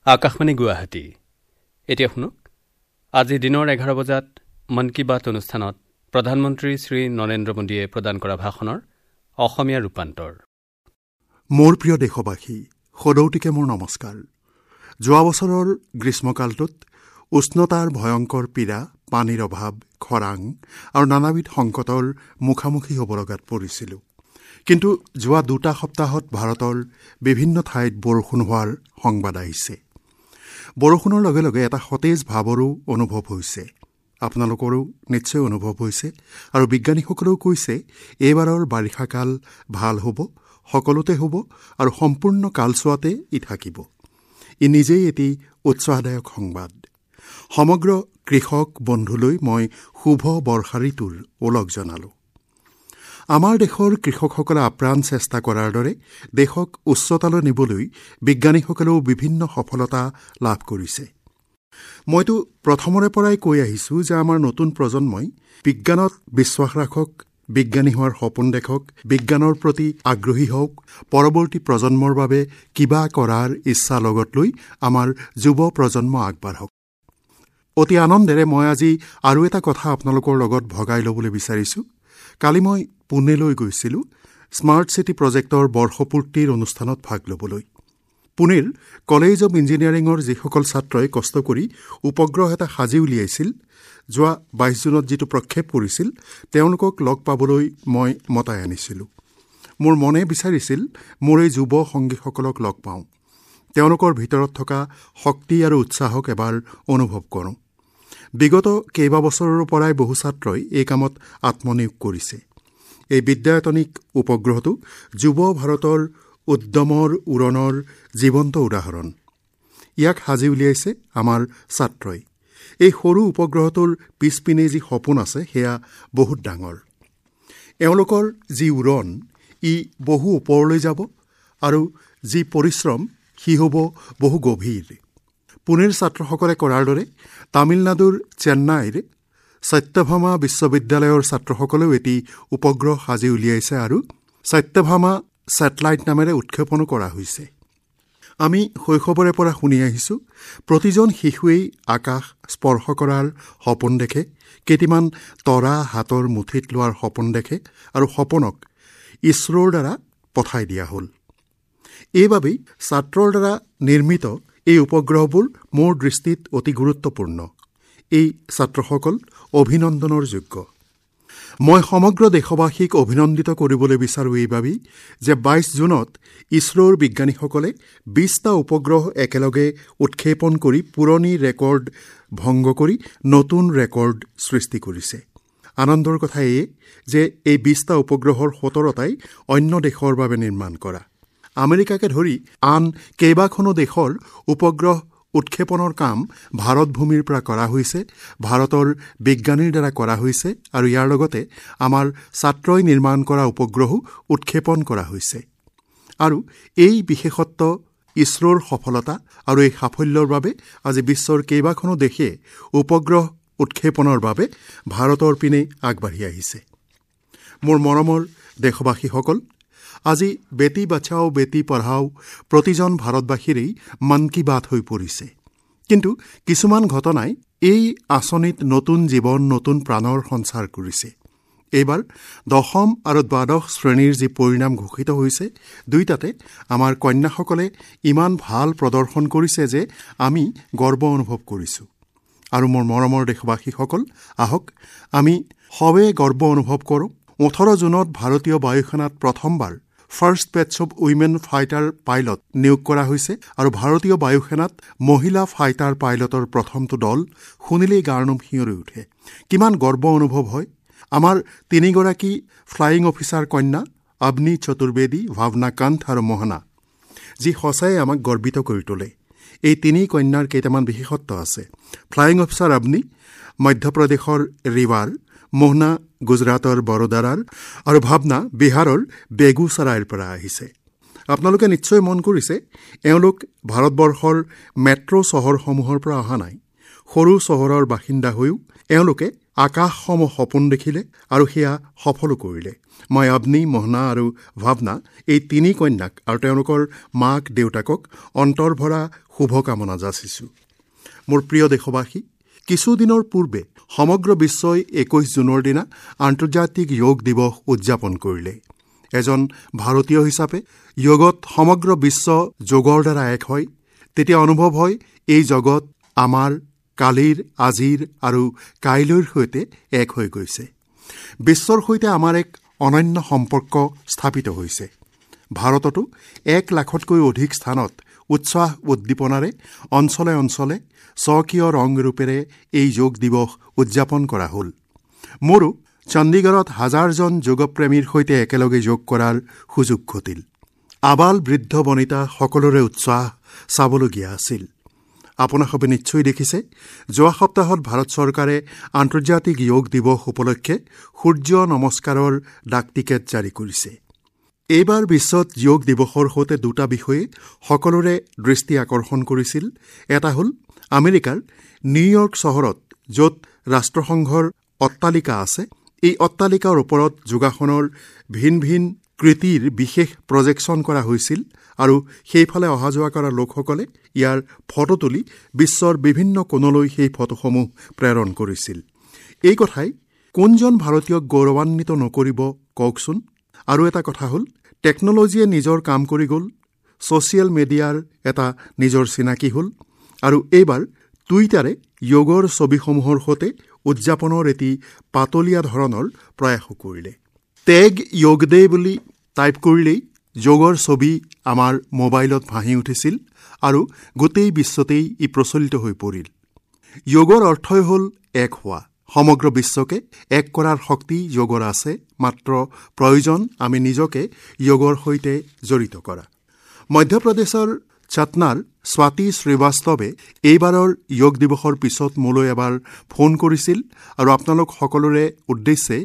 আকাশবাণী গুৱাহাটী। এতিয়া শুনক আজি দিনৰ 11 বজাত মন কী বাত অনুষ্ঠানত প্ৰধানমন্ত্ৰী শ্ৰী নৰেন্দ্ৰ মোদীয়ে প্ৰদান কৰা ভাষণৰ অসমীয়া ৰূপান্তৰ। মোৰ প্ৰিয় দেশবাসী, সদৌটিকে মোৰ নমস্কাৰ। যোৱা বছৰৰ গ্ৰীষ্মকালটোত উষ্ণতাৰ ভয়ংকৰ পীড়া, পানীৰ অভাৱ, খৰাং আৰু নানাবিধ সংকটৰ মুখামুখি হ'ব লগাত পৰিছিলোঁ। কিন্তু যোৱা 2 সপ্তাহত ভাৰতৰ বিভিন্ন ঠাইত বৰষুণ হোৱাৰ সংবাদ আহিছে। বৰষুণৰ লগে লগে এটা সতেজ ভাৱৰো অনুভৱ হৈছে, আপোনালোকৰো নিশ্চয় অনুভৱ হৈছে আৰু বিজ্ঞানীসকলেও কৈছে এইবাৰৰ বাৰিষাকাল ভাল হ'ব, সকলোতে হ'ব আৰু সম্পূৰ্ণ কালচোৱাতে ই থাকিব। ই নিজেই এটি উৎসাহদায়ক সংবাদ। সমগ্ৰ কৃষক বন্ধুলৈ মই শুভ বৰ্ষা ঋতুৰ ওলগ জনালোঁ। আমাৰ দেশৰ কৃষকসকলে আপ্ৰাণ চেষ্টা কৰাৰ দৰে দেশক উচ্চতালৈ নিবলৈ বিজ্ঞানীসকলেও বিভিন্ন সফলতা লাভ কৰিছে। মইতো প্ৰথমৰে পৰাই কৈ আহিছোঁ যে আমাৰ নতুন প্ৰজন্মই বিজ্ঞানত বিশ্বাস ৰাখক, বিজ্ঞানী হোৱাৰ সপোন দেখক, বিজ্ঞানৰ প্ৰতি আগ্ৰহী হওক, পৰৱৰ্তী প্ৰজন্মৰ বাবে কিবা কৰাৰ ইচ্ছা লগত লৈ আমাৰ যুৱ প্ৰজন্ম আগবাঢ়ক। অতি আনন্দেৰে মই আজি আৰু এটা কথা আপোনালোকৰ লগত ভগাই ল'বলৈ বিচাৰিছোঁ। কালি মই পুনেলৈ গৈছিলোঁ স্মাৰ্ট চিটি প্ৰজেক্টৰ বৰ্ষপূৰ্তিৰ অনুষ্ঠানত ভাগ ল'বলৈ। পুনেৰ কলেজ অৱ ইঞ্জিনিয়াৰিঙৰ যিসকল ছাত্ৰই কষ্ট কৰি উপগ্ৰহ এটা সাজি উলিয়াইছিল, যোৱা 22 জুনত যিটো প্ৰক্ষেপ কৰিছিল, তেওঁলোকক লগ পাবলৈ মই মতাই আনিছিলোঁ। মোৰ মনে বিচাৰিছিল মোৰ এই যুৱ সংগীসকলক লগ পাওঁ, তেওঁলোকৰ ভিতৰত থকা শক্তি আৰু উৎসাহক এবাৰ অনুভৱ কৰোঁ। বিগত কেইবাবছৰৰ পৰাই বহু ছাত্ৰই এই কামত আত্মনিয়োগ কৰিছে। এই বিদ্যায়তনিক উপগ্ৰহটো যুৱ ভাৰতৰ উদ্যমৰ উৰণৰ জীৱন্ত উদাহৰণ। ইয়াক সাজি উলিয়াইছে আমাৰ ছাত্ৰই। এই সৰু উপগ্ৰহটোৰ পিছপিনে যি সপোন আছে সেয়া বহুত ডাঙৰ। এওঁলোকৰ যি উৰণ, ই বহু ওপৰলৈ যাব আৰু যি পৰিশ্ৰম সি হ'ব বহু গভীৰ। পুনেৰ ছাত্ৰসকলে কৰাৰ দৰে তামিলনাডুৰ চেন্নাইৰ সত্যভামা বিশ্ববিদ্যালয়ৰ ছাত্ৰসকলেও এটি উপগ্ৰহ সাজি উলিয়াইছে আৰু সত্যভামা ছেটেলাইট নামেৰে উৎক্ষেপণো কৰা হৈছে। আমি শৈশৱৰে পৰা শুনি আহিছোঁ, প্ৰতিজন শিশুৱেই আকাশ স্পৰ্শ কৰাৰ সপোন দেখে, কেইটিমান তৰা হাতৰ মুঠিত লোৱাৰ সপোন দেখে আৰু সপোনক ইছৰোৰ দ্বাৰা পঠাই দিয়া হ'ল। এইবাবেই ছাত্ৰৰ দ্বাৰা নিৰ্মিত এই উপগ্ৰহবোৰ মোৰ দৃষ্টিত অতি গুৰুত্বপূৰ্ণ। এই ছাত্ৰসকল অভিনন্দনৰ যোগ্য। মই সমগ্ৰ দেশবাসীক অভিনন্দিত কৰিবলৈ বিচাৰোঁ এইবাবেই যে 22 জুনত ইছৰোৰ বিজ্ঞানীসকলে 20টা উপগ্ৰহ একেলগে উৎক্ষেপণ কৰি পুৰণি ৰেকৰ্ড ভংগ কৰি নতুন ৰেকৰ্ড সৃষ্টি কৰিছে। আনন্দৰ কথা এয়ে যে এই 20টা উপগ্ৰহৰ 17টাই অন্য দেশৰ বাবে নিৰ্মাণ কৰা। আমেৰিকাকে ধৰি আন কেইবাখনো দেশৰ উপগ্ৰহ উৎক্ষেপণৰ কাম ভাৰত ভূমিৰ পৰা কৰা হৈছে, ভাৰতৰ বিজ্ঞানীৰ দ্বাৰা কৰা হৈছে আৰু ইয়াৰ লগতে আমাৰ ছাত্ৰই নিৰ্মাণ কৰা উপগ্ৰহো উৎক্ষেপণ কৰা হৈছে। আৰু এই বিশেষত্ব ইছৰোৰ সফলতা আৰু এই সাফল্যৰ বাবে আজি বিশ্বৰ কেইবাখনো দেশে উপগ্ৰহ উৎক্ষেপণৰ বাবে ভাৰতৰ পিনে আগবাঢ়ি আহিছে। মোৰ মৰমৰ দেশবাসীসকল, আজি বেটী বচাও বেটী পঢ়াও প্ৰতিজন ভাৰতবাসীৰেই মন কী বাত হৈ পৰিছে। কিন্তু কিছুমান ঘটনাই এই আঁচনিত নতুন জীৱন, নতুন প্ৰাণৰ সঞ্চাৰ কৰিছে। এইবাৰ দশম আৰু দ্বাদশ শ্ৰেণীৰ যি পৰিণাম ঘোষিত হৈছে, দুয়োটাতে আমাৰ কন্যাসকলে ইমান ভাল প্ৰদৰ্শন কৰিছে যে আমি গৰ্ব অনুভৱ কৰিছোঁ। আৰু মোৰ মৰমৰ দেশবাসীসকল, আহক আমি সবে গৰ্ব অনুভৱ কৰোঁ। 18 জুনত ভাৰতীয় বায়ুসেনাত প্ৰথমবাৰ first batch of women fighter pilot নিয়োগ কৰা হৈছে আৰু ভাৰতীয় বায়ুসেনাত মহিলা ফাইটাৰ পাইলটৰ প্ৰথমটো দল শুনিলেই গাৰ নোম শিঁয়ৰি উঠে। কিমান গৰ্ব অনুভৱ হয়। আমাৰ 3গৰাকী ফ্লাইং অফিচাৰ কন্যা অবনী চতুৰ্বেদী, ভাৱনা কান্থ আৰু মোহনা, যি সঁচাই আমাক গৰ্বিত কৰি তোলে। এই 3 কন্যাৰ কেইটামান বিশেষত্ব আছে। ফ্লাইং অফিচাৰ অবনী মধ্যপ্ৰদেশৰ ৰিৱাৰ, মোহনা গুজৰাটৰ বৰোদাৰাৰ আৰু ভাৱনা বিহাৰৰ বেগুচৰাইৰ পৰা আহিছে। আপোনালোকে নিশ্চয় মন কৰিছে, এওঁলোক ভাৰতবৰ্ষৰ মেট্ৰ' চহৰসমূহৰ পৰা অহা নাই। সৰু চহৰৰ বাসিন্দা হৈও এওঁলোকে আকাশসম সপোন দেখিলে আৰু সেয়া সফলো কৰিলে। মই অগ্নি, মোহনা আৰু ভাৱনা এই তিনি কন্যাক আৰু তেওঁলোকৰ মাক দেউতাকক অন্তৰভৰা শুভকামনা যাচিছোঁ। মোৰ প্ৰিয় দেশবাসী, কিছুদিনৰ পূৰ্বে সমগ্ৰ বিশ্বই 21 জুনৰ দিনা আন্তৰ্জাতিক যোগ দিৱস উদযাপন কৰিলে। এজন ভাৰতীয় হিচাপে যোগত সমগ্ৰ বিশ্ব যোগৰ দ্বাৰা এক হয়, তেতিয়া অনুভৱ হয় এই জগত আমাৰ কালিৰ, আজিৰ আৰু কাইলৈৰ সৈতে এক হৈ গৈছে। বিশ্বৰ সৈতে আমাৰ এক অনন্য সম্পৰ্ক স্থাপিত হৈছে। ভাৰততো 1 লাখতকৈ অধিক স্থানত উৎসাহ উদ্দীপনাৰে অঞ্চলে অঞ্চলে স্বকীয় ৰং ৰূপেৰে এই যোগ দিৱস উদযাপন কৰা হ'ল। মোৰো চণ্ডীগড়ত হাজাৰজন যোগপ্ৰেমীৰ সৈতে একেলগে যোগ কৰাৰ সুযোগ ঘটিল। আবাল বৃদ্ধ বনিতা সকলোৰে উৎসাহ চাবলগীয়া আছিল। আপোনাসবে নিশ্চয় দেখিছে, যোৱা সপ্তাহত ভাৰত চৰকাৰে আন্তৰ্জাতিক যোগ দিৱস উপলক্ষে সূৰ্য নমস্কাৰৰ ডাক টিকেট জাৰি কৰিছে। এইবাৰ বিশ্বত যোগ দিৱসৰ সৈতে দুটা বিষয়ে সকলোৰে দৃষ্টি আকৰ্ষণ কৰিছিল। এটা হ'ল আমেৰিকাৰ নিউয়ৰ্ক চহৰত, য'ত ৰাষ্ট্ৰসংঘৰ অট্টালিকা আছে, এই অট্টালিকাৰ ওপৰত যোগাসনৰ ভিন ভিন কৃতিৰ বিশেষ প্ৰজেকশ্যন কৰা হৈছিল আৰু সেইফালে অহা যোৱা কৰা লোকসকলে ইয়াৰ ফটো তুলি বিশ্বৰ বিভিন্ন কোণলৈ সেই ফটোসমূহ প্ৰেৰণ কৰিছিল। এই কথাই কোনজন ভাৰতীয়ক গৌৰৱান্বিত নকৰিব কওকচোন? আৰু এটা কথা হ'ল, টেকন'লজিয়ে নিজৰ কাম কৰি গ'ল, ছ'চিয়েল মিডিয়াৰ এটা নিজৰ চিনাকি হ'ল আৰু এইবাৰ টুইটাৰে যোগৰ ছবিসমূহৰ সৈতে উদযাপনৰ এটি পাতলীয়া ধৰণৰ প্ৰয়াসো কৰিলে। টেগ যোগ ডে বুলি টাইপ কৰিলেই যোগৰ ছবি আমাৰ মোবাইলত ভাঁহি উঠিছিল আৰু গোটেই বিশ্বতেই ই প্ৰচলিত হৈ পৰিল। যোগৰ অৰ্থই হ'ল এক হোৱা। সমগ্ৰ বিশ্বকে এক কৰাৰ শক্তি যোগৰ আছে, মাত্ৰ প্ৰয়োজন আমি নিজকে যোগৰ সৈতে জড়িত কৰা। মধ্যপ্ৰদেশৰ চাটনাৰ স্বাতী শ্ৰীবাস্তৱে এইবাৰৰ যোগ দিৱসৰ পিছত মোলৈ এবাৰ ফোন কৰিছিল আৰু আপোনালোক সকলোৰে উদ্দেশ্যে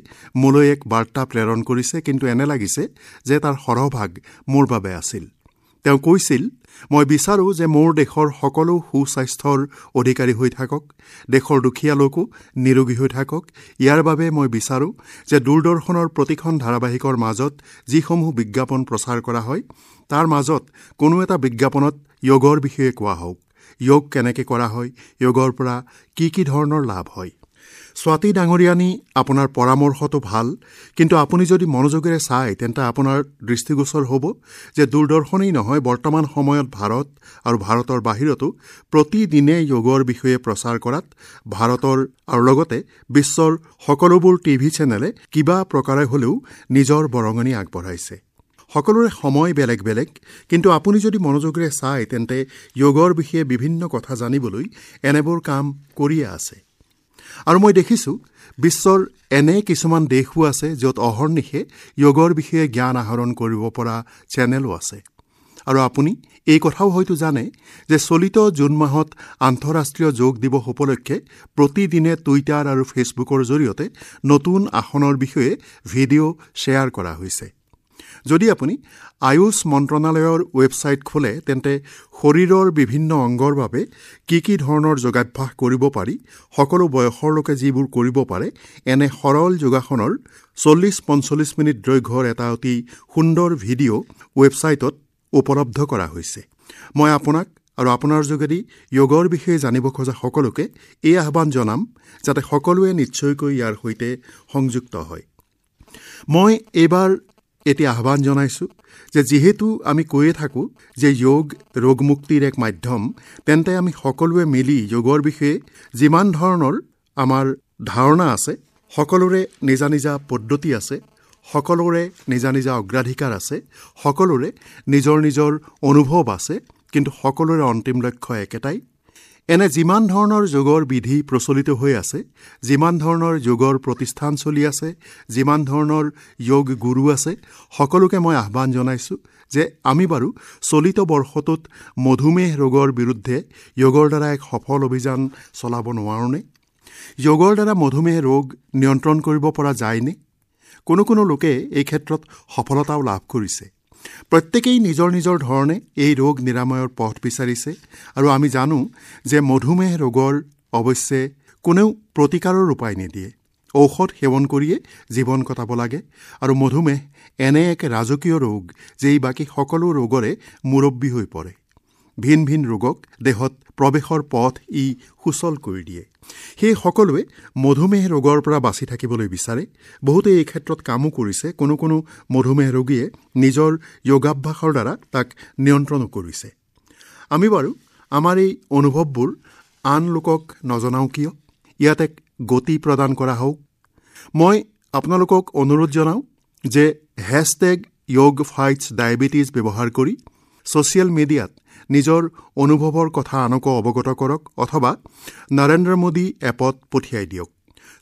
মোলৈ এক বাৰ্তা প্ৰেৰণ কৰিছে, কিন্তু এনে লাগিছে যে তাৰ সৰহভাগ মোৰ বাবে আছিল। তেওঁ কৈছিল, মই বিচাৰোঁ যে মোৰ দেশৰ সকলো সুস্বাস্থ্যৰ অধিকাৰী হৈ থাকক, দেশৰ দুখীয়া লোকো নিৰোগী হৈ থাকক। ইয়াৰ বাবে মই বিচাৰোঁ যে দূৰদৰ্শনৰ প্ৰতিখন ধাৰাবাহিকৰ মাজত যিসমূহ বিজ্ঞাপন প্ৰচাৰ কৰা হয়, তাৰ মাজত কোনো এটা বিজ্ঞাপনত যোগৰ বিষয়ে কোৱা হওক, যোগ কেনেকৈ কৰা হয়, যোগৰ পৰা কি কি ধৰণৰ লাভ হয়। স্বাতী ডাঙৰীয়ানী, আপোনাৰ পৰামৰ্শটো ভাল, কিন্তু আপুনি যদি মনোযোগেৰে চায় তেন্তে আপোনাৰ দৃষ্টিগোচৰ হ'ব যে দূৰদৰ্শনেই নহয়, বৰ্তমান সময়ত ভাৰত আৰু ভাৰতৰ বাহিৰতো প্ৰতিদিনে যোগৰ বিষয়ে প্ৰচাৰ কৰাত ভাৰতৰ আৰু লগতে বিশ্বৰ সকলোবোৰ টিভি চেনেলে কিবা প্ৰকাৰে হ'লেও নিজৰ বৰঙণি আগবঢ়াইছে। সকলোৰে সময় বেলেগ বেলেগ, কিন্তু আপুনি যদি মনোযোগেৰে চায় তেন্তে যোগৰ বিষয়ে বিভিন্ন কথা জানিবলৈ এনেবোৰ কাম কৰিয়ে আছে। আৰু মই দেখিছোঁ বিশ্বৰ এনে কিছুমান দেশো আছে য'ত অহৰ্নিশে যোগৰ বিষয়ে জ্ঞান আহৰণ কৰিব পৰা চেনেলো আছে। আৰু আপুনি এই কথাও হয়তো জানে যে চলিত জুন মাহত আন্তঃৰাষ্ট্ৰীয় যোগ দিৱস উপলক্ষে প্ৰতিদিনে টুইটাৰ আৰু ফেচবুকৰ জৰিয়তে নতুন আসনৰ বিষয়ে ভিডিঅ' শ্বেয়াৰ কৰা হৈছে। যদি আপুনি আয়ুষ মন্ত্ৰণালয়ৰ ৱেবছাইট খোলে তেন্তে শৰীৰৰ বিভিন্ন অংগৰ বাবে কি কি ধৰণৰ যোগাভ্যাস কৰিব পাৰি, সকলো বয়সৰ লোকে যিবোৰ কৰিব পাৰে, এনে সৰল যোগাসনৰ 40-45 মিনিট দৈৰ্ঘ্যৰ এটা অতি সুন্দৰ ভিডিঅ' ৱেবছাইটত উপলব্ধ কৰা হৈছে। মই আপোনাক আৰু আপোনাৰ যোগেদি যোগৰ বিষয়ে জানিব খোজা সকলোকে এই আহ্বান জনাম যাতে সকলোৱে নিশ্চয়কৈ ইয়াৰ সৈতে সংযুক্ত হয়। মই এইবাৰ এতিয়া আহ্বান জনাইছোঁ যে যিহেতু আমি কৈয়ে থাকোঁ যে যোগ ৰোগমুক্তিৰ এক মাধ্যম, তেন্তে আমি সকলোৱে মিলি যোগৰ বিষয়ে যিমান ধৰণৰ আমাৰ ধাৰণা আছে, সকলোৰে নিজা নিজা পদ্ধতি আছে, সকলোৰে নিজা নিজা অগ্ৰাধিকাৰ আছে, সকলোৰে নিজৰ নিজৰ অনুভৱ আছে, কিন্তু সকলোৰে অন্তিম লক্ষ্য একেটাই। এনে যিমান ধৰণৰ যোগৰ বিধি প্ৰচলিত হৈ আছে, যিমান ধৰণৰ যোগৰ প্ৰতিষ্ঠান চলি আছে, যিমান ধৰণৰ যোগ গুৰু আছে, সকলোকে মই আহ্বান জনাইছোঁ যে আমি বাৰু চলিত বৰ্ষটোত মধুমেহ ৰোগৰ বিৰুদ্ধে যোগৰ দ্বাৰা এক সফল অভিযান চলাব নোৱাৰোঁনে? যোগৰ দ্বাৰা মধুমেহ ৰোগ নিয়ন্ত্ৰণ কৰিব পৰা যায়নে? কোনো কোনো লোকে এই ক্ষেত্ৰত সফলতাও লাভ কৰিছে। প্ৰত্যেকেই নিজৰ নিজৰ ধৰণে এই ৰোগ নিৰাময়ৰ পথ বিচাৰিছে আৰু আমি জানো যে মধুমেহ ৰোগৰ অৱশ্যে কোনেও প্ৰতিকাৰৰ উপায় নিদিয়ে, ঔষধ সেৱন কৰিয়ে জীৱন কটাব লাগে আৰু মধুমেহ এনে এক ৰাজকীয় ৰোগ যে ই বাকী সকলো ৰোগৰে মুৰব্বী হৈ পৰে। ভিন ভিন ৰোগক দেহত প্ৰৱেশৰ পথ ই সুচল কৰি দিয়ে। সেই সকলোৱে মধুমেহ ৰোগৰ পৰা বাচি থাকিবলৈ বিচাৰে। বহুতে এই ক্ষেত্ৰত কামো কৰিছে। কোনো কোনো মধুমেহ ৰোগীয়ে নিজৰ যোগাভ্যাসৰ দ্বাৰা তাক নিয়ন্ত্ৰণো কৰিছে। আমি বাৰু আমাৰ এই অনুভৱবোৰ আন লোকক নজনাওঁ কিয়? ইয়াত এক গতি প্ৰদান কৰা হওক। মই আপোনালোকক অনুৰোধ জনাওঁ যে #YogFightsDiabetes ব্যৱহাৰ কৰি ছ'চিয়েল মিডিয়াত নিজৰ অনুভৱৰ কথা আনকো অৱগত কৰক অথবা নৰেন্দ্ৰ মোদী এপত পঠিয়াই দিয়ক।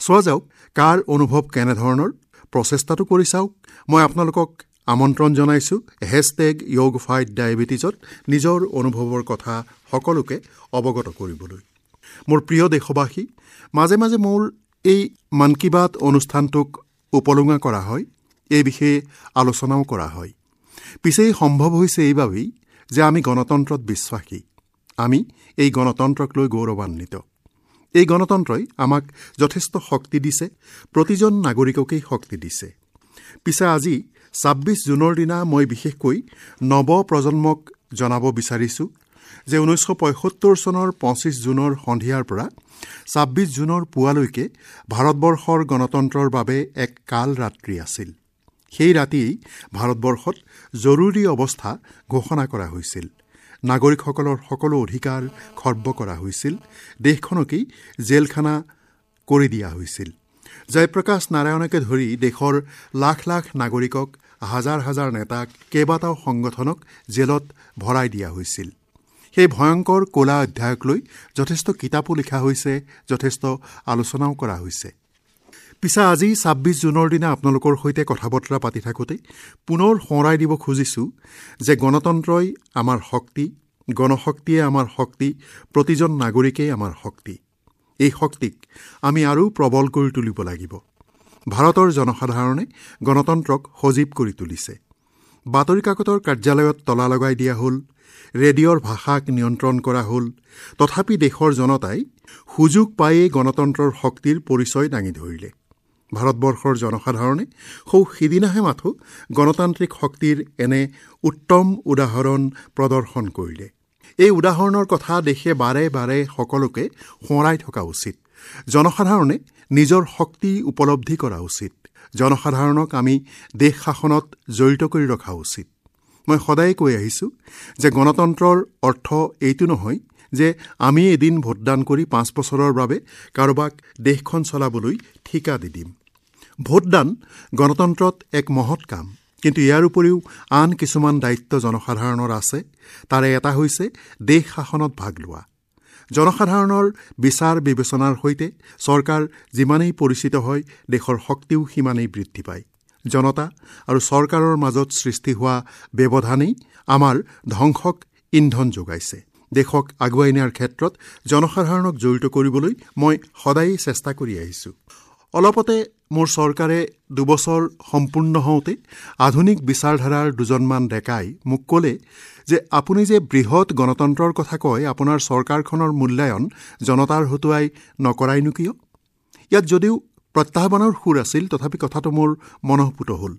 চোৱা যাওক কাৰ অনুভৱ কেনেধৰণৰ, প্ৰচেষ্টাটো কৰি চাওক। মই আপোনালোকক আমন্ত্ৰণ জনাইছোঁ #YogFightDiabetesত নিজৰ অনুভৱৰ কথা সকলোকে অৱগত কৰিবলৈ। মোৰ প্ৰিয় দেশবাসী, মাজে মাজে মোৰ এই মন কী বাত অনুষ্ঠানটোক উপলুঙা কৰা হয়, এই বিষয়ে আলোচনাও কৰা হয়। পিছে সম্ভৱ হৈছে এইবাবেই যে আমি গণতন্ত্ৰত বিশ্বাসী। আমি এই গণতন্ত্ৰক লৈ গৌৰৱান্বিত। এই গণতন্ত্ৰই আমাক যথেষ্ট শক্তি দিছে, প্ৰতিজন নাগৰিককেই শক্তি দিছে। পিছে আজি 26 জুনৰ দিনা মই বিশেষকৈ নৱ প্ৰজন্মক জনাব বিচাৰিছোঁ যে 1975 চনৰ 25 জুনৰ সন্ধিয়াৰ পৰা 26 জুনৰ পুৱালৈকে ভাৰতবৰ্ষৰ গণতন্ত্ৰৰ বাবে এক কাল ৰাত্ৰি আছিল। সেই ৰাতিয়েই ভাৰতবৰ্ষত জৰুৰী অৱস্থা ঘোষণা কৰা হৈছিল। নাগৰিকসকলৰ সকলো অধিকাৰ খৰ্ব কৰা হৈছিল। দেশখনকেই জেলখানা কৰি দিয়া হৈছিল। জয়প্ৰকাশ নাৰায়ণকে ধৰি দেশৰ লাখ লাখ নাগৰিকক, হাজাৰ হাজাৰ নেতাক, কেইবাটাও সংগঠনক জেলত ভৰাই দিয়া হৈছিল। সেই ভয়ংকৰ ক'লা অধ্যায়ক লৈ যথেষ্ট কিতাপো লিখা হৈছে, যথেষ্ট আলোচনাও কৰা হৈছে। পিছে আজি 26 জুনৰ দিনা আপোনালোকৰ সৈতে কথা বতৰা পাতি থাকোঁতে পুনৰ সোঁৱৰাই দিব খুজিছোঁ যে গণতন্ত্ৰই আমাৰ শক্তি, গণশক্তিয়ে আমাৰ শক্তি, প্ৰতিজন নাগৰিকেই আমাৰ শক্তি। এই শক্তিক আমি আৰু প্ৰবল কৰি তুলিব লাগিব। ভাৰতৰ জনসাধাৰণে গণতন্ত্ৰক সজীৱ কৰি তুলিছে। বাতৰি কাকতৰ কাৰ্যালয়ত তলা লগাই দিয়া হ'ল, ৰেডিঅ'ৰ ভাষাক নিয়ন্ত্ৰণ কৰা হ'ল, তথাপি দেশৰ জনতাই সুযোগ পায়েই গণতন্ত্ৰৰ শক্তিৰ পৰিচয় দাঙি ধৰিলে। ভাৰতবৰ্ষৰ জনসাধাৰণে সৌ সিদিনাহে মাথো গণতান্ত্ৰিক শক্তিৰ এনে উত্তম উদাহৰণ প্ৰদৰ্শন কৰিলে। এই উদাহৰণৰ কথা দেশে বাৰে বাৰে সকলোকে সোঁৱৰাই থকা উচিত। জনসাধাৰণে নিজৰ শক্তি উপলব্ধি কৰা উচিত। জনসাধাৰণক আমি দেশ শাসনত জড়িত কৰি ৰখা উচিত। মই সদায়ে কৈ আহিছোঁ যে গণতন্ত্ৰৰ অৰ্থ এইটো নহয় যে আমি এদিন ভোটদান কৰি 5 বছৰৰ বাবে কাৰোবাক দেশখন চলাবলৈ ঠিকা দি দিম। ভোটদান গণতন্ত্ৰত এক মহৎ কাম, কিন্তু ইয়াৰ উপৰিও আন কিছুমান দায়িত্ব জনসাধাৰণৰ আছে। তাৰে এটা হৈছে দেশ শাসনত ভাগ লোৱা। জনসাধাৰণৰ বিচাৰ বিবেচনাৰ সৈতে চৰকাৰ যিমানেই পৰিচিত হয়, দেশৰ শক্তিও সিমানেই বৃদ্ধি পায়। জনতা আৰু চৰকাৰৰ মাজত সৃষ্টি হোৱা ব্যৱধানেই আমাৰ ধ্বংসক ইন্ধন যোগাইছে। দেশক আগুৱাই নিয়াৰ ক্ষেত্ৰত জনসাধাৰণক জড়িত কৰিবলৈ মই সদায়েই চেষ্টা কৰি আহিছোঁ। অলপতে মোৰ চৰকাৰে 2 বছৰ সম্পূৰ্ণ হওঁতে আধুনিক বিচাৰধাৰাৰ দুজনমান ডেকাই মোক ক'লে যে আপুনি যে বৃহৎ গণতন্ত্ৰৰ কথা কয়, আপোনাৰ চৰকাৰখনৰ মূল্যায়ন জনতাৰ হতুৱাই নকৰাইনো কিয়? ইয়াত যদিও প্ৰত্যাহ্বানৰ সুৰ আছিল, তথাপি কথাটো মোৰ মনঃপুত হ'ল।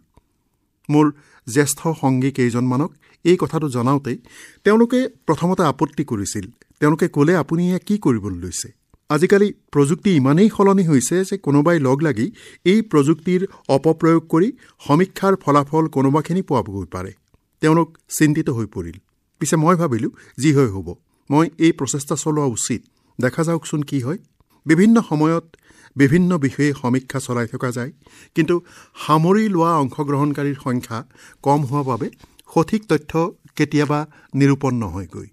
মোৰ জ্যেষ্ঠ সংগী কেইজনমানক এই কথাটো জনাওঁতেই তেওঁলোকে প্ৰথমতে আপত্তি কৰিছিল। তেওঁলোকে ক'লে, আপুনি এয়া কি কৰিবলৈ লৈছে? আজিকালি প্ৰযুক্তি ইমানেই সলনি হৈছে যে কোনোবাই লগ লাগি এই প্ৰযুক্তিৰ অপপ্ৰয়োগ কৰি সমীক্ষাৰ ফলাফল কোনোবাখিনি পোৱাবগৈ পাৰে। তেওঁলোক চিন্তিত হৈ পৰিল। পিছে মই ভাবিলোঁ, যি হৈ হ'ব, মই এই প্ৰচেষ্টা চলোৱা উচিত। দেখা যাওকচোন কি হয়। বিভিন্ন সময়ত বিভিন্ন বিষয়ে সমীক্ষা চলাই থকা যায়, কিন্তু সামৰি লোৱা অংশগ্ৰহণকাৰীৰ সংখ্যা কম হোৱাৰ বাবে সঠিক তথ্য কেতিয়াবা নিৰূপণ নহয়গৈ।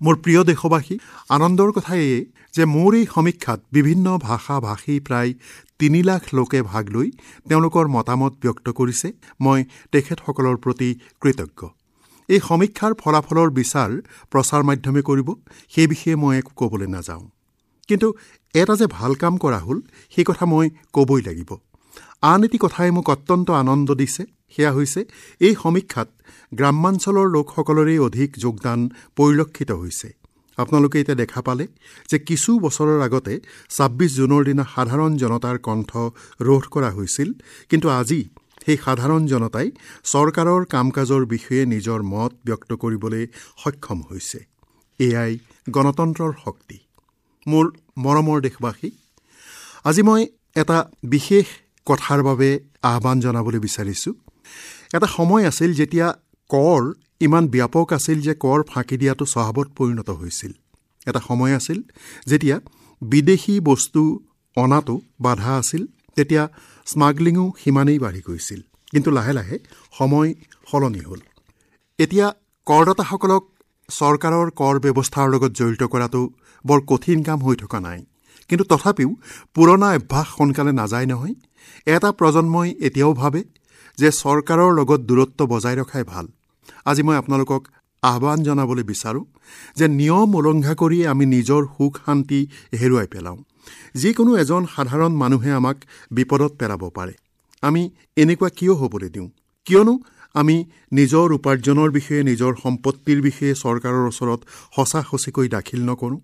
মোৰ প্ৰিয় দেশবাসী, আনন্দৰ কথা এয়ে যে মোৰ এই সমীক্ষাত বিভিন্ন ভাষা ভাষী প্ৰায় 3 লাখ লোকে ভাগ লৈ তেওঁলোকৰ মতামত ব্যক্ত কৰিছে। মই তেখেতসকলৰ প্ৰতি কৃতজ্ঞ। এই সমীক্ষাৰ ফলাফলৰ বিচাৰ প্ৰচাৰ মাধ্যমে কৰিব, সেই বিষয়ে মই একো ক'বলৈ নাযাওঁ। কিন্তু এটা যে ভাল কাম কৰা হ'ল, সেই কথা মই ক'বই লাগিব। আন এটি কথাই মোক অত্যন্ত আনন্দ দিছে, সেয়া হৈছে এই সমীক্ষাত গ্ৰাম্যাঞ্চলৰ লোকসকলৰেই অধিক যোগদান পৰিলক্ষিত হৈছে। আপোনালোকে এতিয়া দেখা পালে যে কিছু বছৰৰ আগতে 26 জুনৰ দিনা সাধাৰণ জনতাৰ কণ্ঠ ৰোধ কৰা হৈছিল, কিন্তু আজি সেই সাধাৰণ জনতাই চৰকাৰৰ কাম কাজৰ বিষয়ে নিজৰ মত ব্যক্ত কৰিবলৈ সক্ষম হৈছে। এয়াই গণতন্ত্ৰৰ শক্তি। মোৰ মৰমৰ দেশবাসী, আজি মই এটা বিশেষ কথাৰ বাবে আহ্বান জনাবলৈ বিচাৰিছোঁ। এটা সময় আছিল যেতিয়া কৰ ইমান ব্যাপক আছিল যে কৰ ফাঁকি দিয়াটো স্বভাৱত পৰিণত হৈছিল। এটা সময় আছিল যেতিয়া বিদেশী বস্তু অনাটো বাধা আছিল, তেতিয়া স্মাগলিঙো সিমানেই বাঢ়ি গৈছিল। কিন্তু লাহে লাহে সময় সলনি হ'ল। এতিয়া কৰদাতাসকলক চৰকাৰৰ কৰ ব্যৱস্থাৰ লগত জড়িত কৰাটো বৰ কঠিন কাম হৈ থকা নাই, কিন্তু তথাপিও পুৰণা অভ্যাস সোনকালে নাযায় নহয়। এটা প্ৰজন্মই এতিয়াও ভাবে যে চৰকাৰৰ লগত দূৰত্ব বজাই ৰখাই ভাল। আজি মই আপোনালোকক আহ্বান জনাবলৈ বিচাৰোঁ যে নিয়ম উলংঘা কৰি আমি নিজৰ সুখ শান্তি হেৰুৱাই পেলাওঁ। যিকোনো এজন সাধাৰণ মানুহে আমাক বিপদত পেলাব পাৰে। আমি এনেকুৱা কিয় হ'বলৈ দিওঁ? কিয়নো আমি নিজৰ উপাৰ্জনৰ বিষয়ে, নিজৰ সম্পত্তিৰ বিষয়ে চৰকাৰৰ ওচৰত সঁচা সঁচিকৈ দাখিল নকৰোঁ।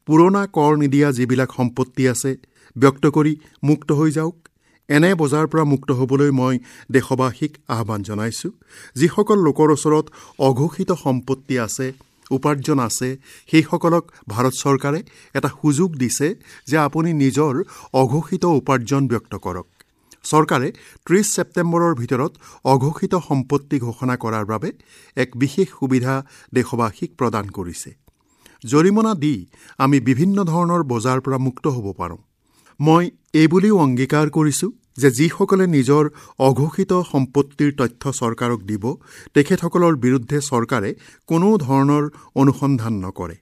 পুৰণা কৰ নিদিয়া যিবিলাক সম্পত্তি আছে ব্যক্ত কৰি মুক্ত হৈ যাওক। এনে বজাৰৰ পৰা মুক্ত হ'বলৈ মই দেশবাসীক আহ্বান জনাইছোঁ। যিসকল লোকৰ ওচৰত অঘোষিত সম্পত্তি আছে, উপাৰ্জন আছে, সেইসকলক ভাৰত চৰকাৰে এটা সুযোগ দিছে যে আপুনি নিজৰ অঘোষিত উপাৰ্জন ব্যক্ত কৰক। চৰকাৰে 30 ছেপ্টেম্বৰৰ ভিতৰত অঘোষিত সম্পত্তি ঘোষণা কৰাৰ বাবে এক বিশেষ সুবিধা দেশবাসীক প্ৰদান কৰিছে। জৰিমনা দি আমি বিভিন্ন ধৰণৰ বজাৰৰ পৰা মুক্ত হ'ব পাৰোঁ। মই এইবুলিও অংগীকাৰ কৰিছোঁ যে যিসকলে নিজৰ অঘোষিত সম্পত্তিৰ তথ্য চৰকাৰক দিব, তেখেতসকলৰ বিৰুদ্ধে চৰকাৰে কোনো ধৰণৰ অনুসন্ধান নকৰে।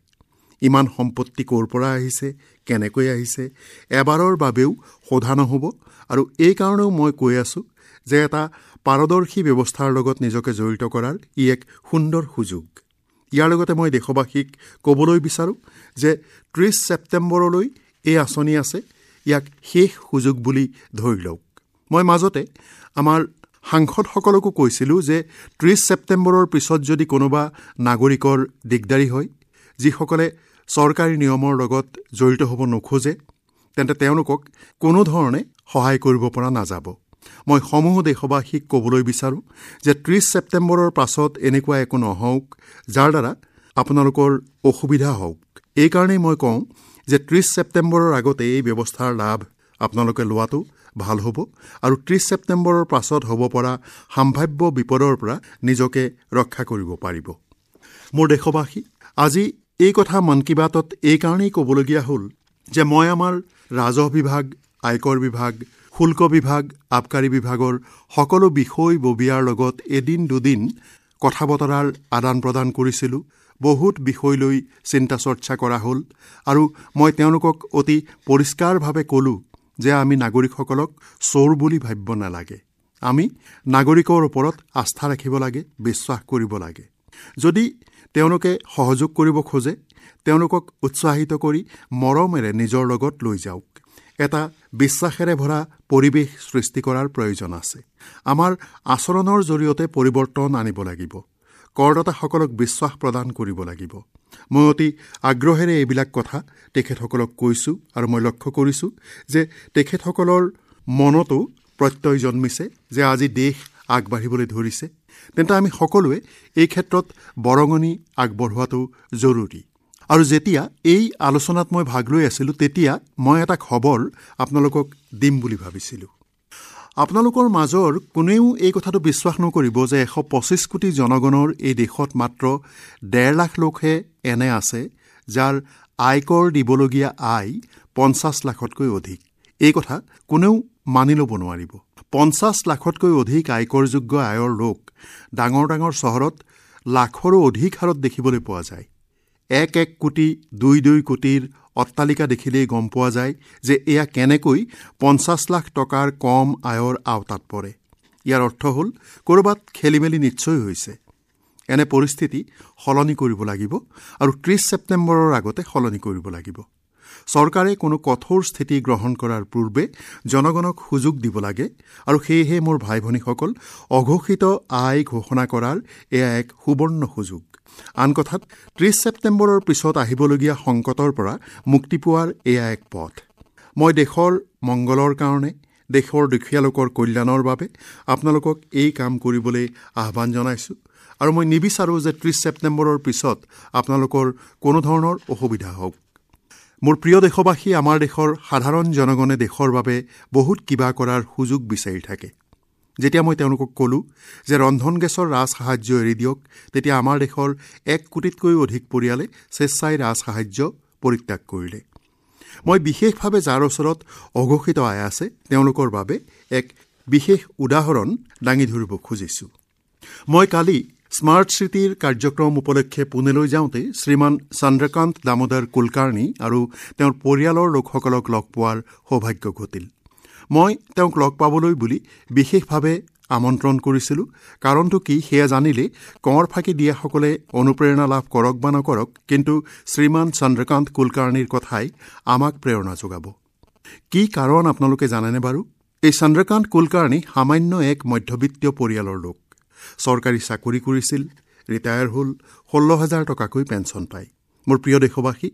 ইমান সম্পত্তি ক'ৰ পৰা আহিছে, কেনেকৈ আহিছে, এবাৰৰ বাবেও সোধা নহ'ব। আৰু এই কাৰণেও মই কৈ আছোঁ যে এটা পাৰদৰ্শী ব্যৱস্থাৰ লগত নিজকে জড়িত কৰাৰ ই এক সুন্দৰ সুযোগ। ইয়াৰ লগতে মই দেশবাসীক ক'বলৈ বিচাৰোঁ যে 30 ছেপ্টেম্বৰলৈ এই আঁচনি আছে, ইয়াক শেষ সুযোগ বুলি ধৰি লওক। মই মাজতে আমাৰ সাংসদসকলকো কৈছিলোঁ যে 30 ছেপ্টেম্বৰৰ পিছত যদি কোনোবা নাগৰিকৰ দিগদাৰী হয়, যিসকলে চৰকাৰী নিয়মৰ লগত জড়িত হ'ব নোখোজে, তেন্তে তেওঁলোকক কোনো ধৰণে সহায় কৰিব পৰা নাযাব। মই সমূহ দেশবাসীক ক'বলৈ বিচাৰোঁ যে 30 ছেপ্টেম্বৰৰ পাছত এনেকুৱা একো নহওক যাৰ দ্বাৰা আপোনালোকৰ অসুবিধা হওক। এইকাৰণেই মই কওঁ যে 30 ছেপ্টেম্বৰৰ আগতে এই ব্যৱস্থাৰ লাভ আপোনালোকে লোৱাটো ভাল হ'ব আৰু 30 ছেপ্টেম্বৰৰ পাছত হ'ব পৰা সম্ভাৱ্য বিপদৰ পৰা নিজকে ৰক্ষা কৰিব পাৰিব। মোৰ দেশবাসী, আজি এই কথা মন কী বাতত এইকাৰণেই ক'বলগীয়া হ'ল যে মই আমাৰ ৰাজহ বিভাগ, আয়কৰ বিভাগ, শুল্ক বিভাগ, আবকাৰী বিভাগৰ সকলো বিষয়ববীয়াৰ লগত এদিন দুদিন কথা বতৰাৰ আদান প্ৰদান কৰিছিলোঁ। বহুত বিষয় লৈ চিন্তা চৰ্চা কৰা হ'ল আৰু মই তেওঁলোকক অতি পৰিষ্কাৰভাৱে ক'লোঁ যে আমি নাগৰিকসকলক চোৰ বুলি ভাবিব নালাগে। আমি নাগৰিকৰ ওপৰত আস্থা ৰাখিব লাগে, বিশ্বাস কৰিব লাগে। যদি তেওঁলোকে সহযোগ কৰিব খোজে, তেওঁলোকক উৎসাহিত কৰি মৰমেৰে নিজৰ লগত লৈ যাওক। এটা বিশ্বাসেৰে ভৰা পৰিৱেশ সৃষ্টি কৰাৰ প্ৰয়োজন আছে। আমাৰ আচৰণৰ জৰিয়তে পৰিৱৰ্তন আনিব লাগিব। কৰদাতাসকলক বিশ্বাস প্ৰদান কৰিব লাগিব। মই অতি আগ্ৰহেৰে এইবিলাক কথা তেখেতসকলক কৈছোঁ আৰু মই লক্ষ্য কৰিছোঁ যে তেখেতসকলৰ মনতো প্ৰত্যয় জন্মিছে যে আজি দেশ আগবাঢ়িবলৈ ধৰিছে। তেন্তে আমি সকলোৱে এই ক্ষেত্ৰত বৰঙণি আগবঢ়োৱাটো জৰুৰী। আৰু যেতিয়া এই আলোচনাত মই ভাগ লৈ আছিলোঁ, তেতিয়া মই এটা খবৰ আপোনালোকক দিম বুলি ভাবিছিলোঁ। আপোনালোকৰ মাজৰ কোনেও এই কথাটো বিশ্বাস নকৰিব যে 125 কোটি জনগণৰ এই দেশত মাত্ৰ 1.5 লাখ লোকহে এনে আছে যাৰ আয়কৰ দিবলগীয়া আয় 50 লাখতকৈ অধিক। এই কথা কোনেও মানি ল'ব নোৱাৰিব। 50 লাখতকৈ অধিক আয়কৰযোগ্য আয়ৰ লোক ডাঙৰ ডাঙৰ চহৰত লাখৰো অধিক হাৰত দেখিবলৈ পোৱা যায়। 1-1 কোটি, 2-2 কোটিৰ অট্টালিকা দেখিলেই গম পোৱা যায় যে এয়া কেনেকৈ 50 লাখ টকাৰ কম আয়ৰ আওতাত পৰে। ইয়াৰ অৰ্থ হ'ল ক'ৰবাত খেলিমেলি নিশ্চয় হৈছে। এনে পৰিস্থিতি সলনি কৰিব লাগিব আৰু 30 ছেপ্টেম্বৰৰ আগতে সলনি কৰিব লাগিব। চৰকাৰে কোনো কঠোৰ স্থিতি গ্ৰহণ কৰাৰ পূৰ্বে জনগণক সুযোগ দিব লাগে আৰু সেয়েহে মোৰ ভাই ভনীসকল, অঘোষিত আয় ঘোষণা কৰাৰ এয়া এক সুবৰ্ণ সুযোগ। আন কথাত 30 ছেপ্টেম্বৰৰ পিছত আহিবলগীয়া সংকটৰ পৰা মুক্তি পোৱাৰ এয়া এক পথ। মই দেশৰ মংগলৰ কাৰণে, দেশৰ দুখীয়া লোকৰ কল্যাণৰ বাবে আপোনালোকক এই কাম কৰিবলৈ আহ্বান জনাইছোঁ আৰু মই নিবিচাৰোঁ যে 30 ছেপ্টেম্বৰৰ পিছত আপোনালোকৰ কোনো ধৰণৰ অসুবিধা হওক। মোৰ প্ৰিয় দেশবাসী, আমাৰ দেশৰ সাধাৰণ জনগণে দেশৰ বাবে বহুত কিবা কৰাৰ সুযোগ বিচাৰি থাকে। যেতিয়া মই তেওঁলোকক ক'লোঁ যে ৰন্ধন গেছৰ ৰাজসাহায্য এৰি দিয়ক, তেতিয়া আমাৰ দেশৰ 1 কোটিতকৈও অধিক পৰিয়ালে স্বেচ্ছাই ৰাজসাহায্য পৰিত্যাগ কৰিলে। মই বিশেষভাৱে যাৰ ওচৰত অঘোষিত আয় আছে তেওঁলোকৰ বাবে এক বিশেষ উদাহৰণ দাঙি ধৰিব খুজিছোঁ। মই কালি স্মাৰ্ট চিটিৰ কাৰ্যক্ৰম উপলক্ষে পুনেলৈ যাওঁতে শ্ৰীমান চন্দ্ৰকান্ত দামোদৰ কুলকাৰ্ণী আৰু তেওঁৰ পৰিয়ালৰ লোকসকলক লগ পোৱাৰ সৌভাগ্য ঘটিল। মই তেওঁক লগ পাবলৈ বুলি বিশেষভাৱে আমন্ত্ৰণ কৰিছিলোঁ। কাৰণটো কি সেয়া জানিলে কৰ ফাঁকি দিয়াসকলে অনুপ্ৰেৰণা লাভ কৰক বা নকৰক, কিন্তু শ্ৰীমান চন্দ্ৰকান্ত কুলকাৰ্ণীৰ কথাই আমাক প্ৰেৰণা যোগাব। কি কাৰণ আপোনালোকে জানেনে বাৰু? এই চন্দ্ৰকান্ত কুলকাৰ্ণী সামান্য এক মধ্যবিত্তীয় পৰিয়ালৰ লোক। চৰকাৰী চাকৰি কৰিছিল, ৰিটায়াৰ হ'ল, 16,000 টকাকৈ পেঞ্চন পায়। মোৰ প্ৰিয় দেশবাসী,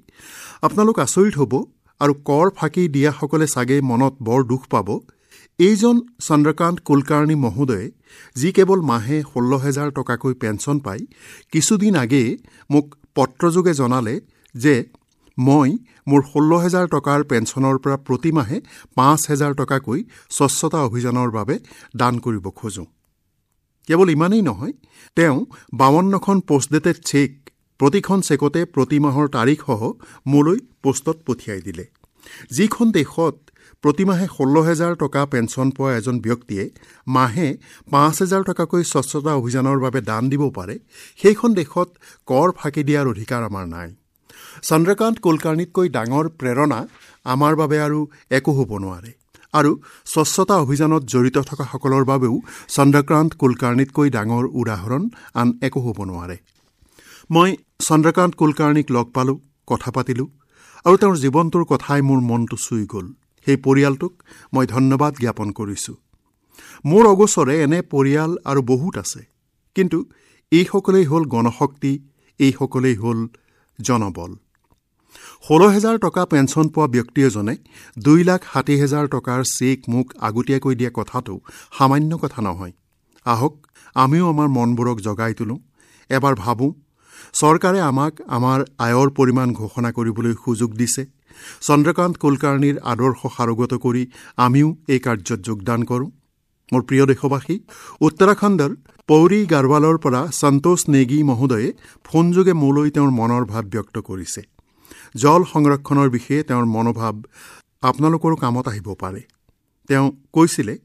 আপোনালোক আচৰিত হ'ব আৰু কৰ ফাঁকি দিয়াসকলে চাগে মনত বৰ দুখ পাব। এইজন চন্দ্ৰকান্ত কুলকাৰ্ণী মহোদয়ে, যি কেৱল মাহে 16,000 টকাকৈ পেঞ্চন পায়, কিছুদিন আগেয়ে মোক পত্ৰযোগে জনালে যে মই মোৰ 16,000 টকাৰ পেঞ্চনৰ পৰা প্ৰতিমাহে 5,000 টকাকৈ স্বচ্ছতা অভিযানৰ বাবে দান কৰিব খোজোঁ। কেৱল ইমানেই নহয়, তেওঁ 52খন পোষ্টডেটেড চেক, প্ৰতিখন চেকতে প্ৰতিমাহৰ তাৰিখসহ মোলৈ পোষ্টত পঠিয়াই দিলে। যিখন দেশত প্ৰতিমাহে 16,000 টকা পেঞ্চন পোৱা এজন ব্যক্তিয়ে মাহে 5,000 টকাকৈ স্বচ্ছতা অভিযানৰ বাবে দান দিব পাৰে, সেইখন দেশত কৰ ফাঁকি দিয়াৰ অধিকাৰ আমাৰ নাই। চন্দ্ৰকান্ত কুলকাৰ্ণীতকৈ ডাঙৰ প্ৰেৰণা আমাৰ বাবে আৰু একো হ'ব নোৱাৰে আৰু স্বচ্ছতা অভিযানত জড়িত থকাসকলৰ বাবেও চন্দ্ৰকান্ত কুলকাৰ্ণীতকৈ ডাঙৰ উদাহৰণ আন একো হ'ব নোৱাৰে। মই চন্দ্ৰকান্ত কুলকাৰ্ণীক লগ পালোঁ, কথা পাতিলোঁ আৰু তেওঁৰ জীৱনটোৰ কথাই মোৰ মনটো চুই গ'ল। সেই পৰিয়ালটোক মই ধন্যবাদ জ্ঞাপন কৰিছোঁ। মোৰ অগোচৰে এনে পৰিয়াল আৰু বহুত আছে, কিন্তু এইসকলেই হ'ল গণশক্তি, এইসকলেই হ'ল জনবল। 16,000 টকা পেঞ্চন পোৱা ব্যক্তি এজনে 2,60,000 টকাৰ চেক মোক আগতীয়াকৈ দিয়া কথাটো সামান্য কথা নহয়। আহক আমিও আমাৰ মনবোৰক জগাই তোলোঁ। এবাৰ ভাবোঁ, চৰকাৰে আমাক আমাৰ আয়ৰ পৰিমাণ ঘোষণা কৰিবলৈ সুযোগ দিছে। চন্দ্ৰকান্ত কুলকাৰ্ণীৰ আদৰ্শ সাৰোগত কৰি আমিও এই কাৰ্যত যোগদান কৰোঁ। মোৰ প্ৰিয় দেশবাসী, উত্তৰাখণ্ডৰ পৌৰী গাৰৱালৰ পৰা সন্তোষ নেগী মহোদয়ে ফোনযোগে মোলৈ তেওঁৰ মনৰ ভাৱ ব্যক্ত কৰিছে। জল সংৰক্ষণৰ বিষয়ে তেওঁৰ মনোভাৱ আপোনালোকৰো কামত আহিব পাৰে। তেওঁ কৈছিলে,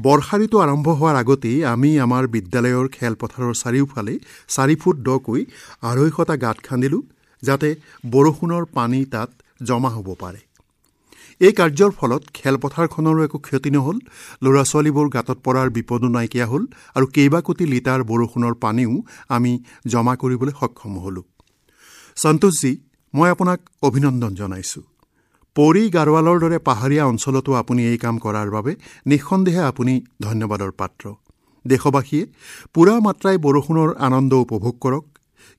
বৰ্ষা ঋতু আৰম্ভ হোৱাৰ আগতেই আমি আমাৰ বিদ্যালয়ৰ খেলপথাৰৰ চাৰিওফালে 4 ফুট দকৈ 250টা গাঁত খান্দিলোঁ, যাতে বৰষুণৰ পানী তাত জমা হ'ব পাৰে। এই কাৰ্যৰ ফলত খেলপথাৰখনৰো একো ক্ষতি নহ'ল, ল'ৰা ছোৱালীবোৰ গাঁতত পৰাৰ বিপদো নাইকিয়া হ'ল আৰু কেইবা কোটি লিটাৰ বৰষুণৰ পানীও আমি জমা কৰিবলৈ সক্ষম হ'লোঁ। সন্তোষজী, মই আপোনাক অভিনন্দন জনাইছোঁ। পৌৰী গাৰৱালৰ দৰে পাহাৰীয়া অঞ্চলতো আপুনি এই কাম কৰাৰ বাবে নিঃসন্দেহে আপুনি ধন্যবাদৰ পাত্ৰ। দেশবাসীয়ে পূৰা মাত্ৰাই বৰষুণৰ আনন্দ উপভোগ কৰক,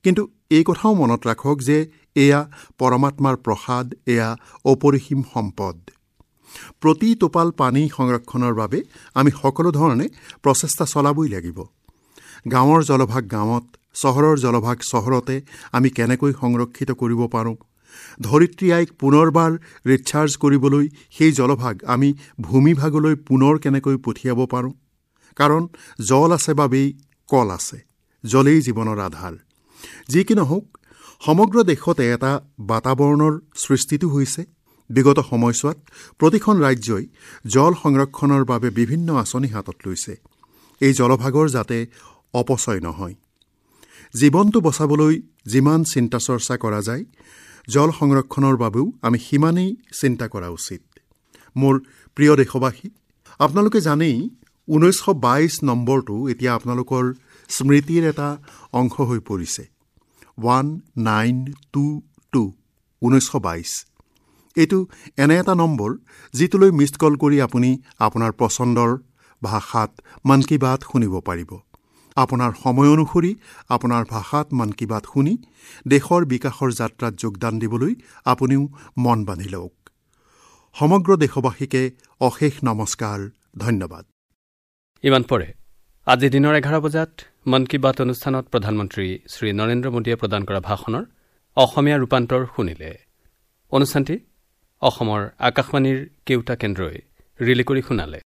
কিন্তু এই কথাও মনত ৰাখক যে এয়া পৰমাত্মাৰ প্ৰসাদ, এয়া অপৰিসীম সম্পদ। প্ৰতি টোপাল পানী সংৰক্ষণৰ বাবে আমি সকলো ধৰণে প্ৰচেষ্টা চলাবই লাগিব। গাঁৱৰ জলভাগ গাঁৱত, চহৰৰ জলভাগ চহৰতে আমি কেনেকৈ সংৰক্ষিত কৰিব পাৰোঁ, ধৰিত্ৰী আইক পুনৰবাৰ ৰিচাৰ্জ কৰিবলৈ সেই জলভাগ আমি ভূমিভাগলৈ পুনৰ কেনেকৈ পঠিয়াব পাৰোঁ। কাৰণ জল আছে বাবেই কল আছে, জলেই জীৱনৰ আধাৰ। যি কি নহওক, সমগ্ৰ দেশতে এটা বাতাবৰণৰ সৃষ্টিটো হৈছে। বিগত সময়ছোৱাত প্ৰতিখন ৰাজ্যই জল সংৰক্ষণৰ বাবে বিভিন্ন আঁচনি হাতত লৈছে, এই জলভাগৰ যাতে অপচয় নহয়। জীৱনটো বচাবলৈ যিমান চিন্তা চৰ্চা কৰা যায়, জল সংৰক্ষণৰ বাবেও আমি সিমানেই চিন্তা কৰা উচিত। মোৰ প্ৰিয় দেশবাসী, আপোনালোকে জানেই 1922 নম্বৰটো এতিয়া আপোনালোকৰ স্মৃতিৰ এটা অংশ হৈ পৰিছে। 1922, 1922 এইটো এনে এটা নম্বৰ যিটোলৈ মিছড কল কৰি আপুনি আপোনাৰ পচন্দৰ ভাষাত মন কী বাত শুনিব পাৰিব। আপোনাৰ সময় অনুসৰি আপোনাৰ ভাষাত মন কী বাত শুনি দেশৰ বিকাশৰ যাত্ৰাত যোগদান দিবলৈ আপুনিও মন বান্ধি লওক। সমগ্ৰ দেশবাসীকে অশেষ নমস্কাৰ, ধন্যবাদ। ইমান পৰে আজি দিনৰ 11 বজাত মন কী বাত অনুষ্ঠানত প্ৰধানমন্ত্ৰী শ্ৰী নৰেন্দ্ৰ মোদীয়ে প্ৰদান কৰা ভাষণৰ অসমীয়া ৰূপান্তৰ শুনিলে। অনুষ্ঠানটি অসমৰ আকাশবাণীৰ কেউটা কেন্দ্ৰই ৰিলি কৰি শুনালে।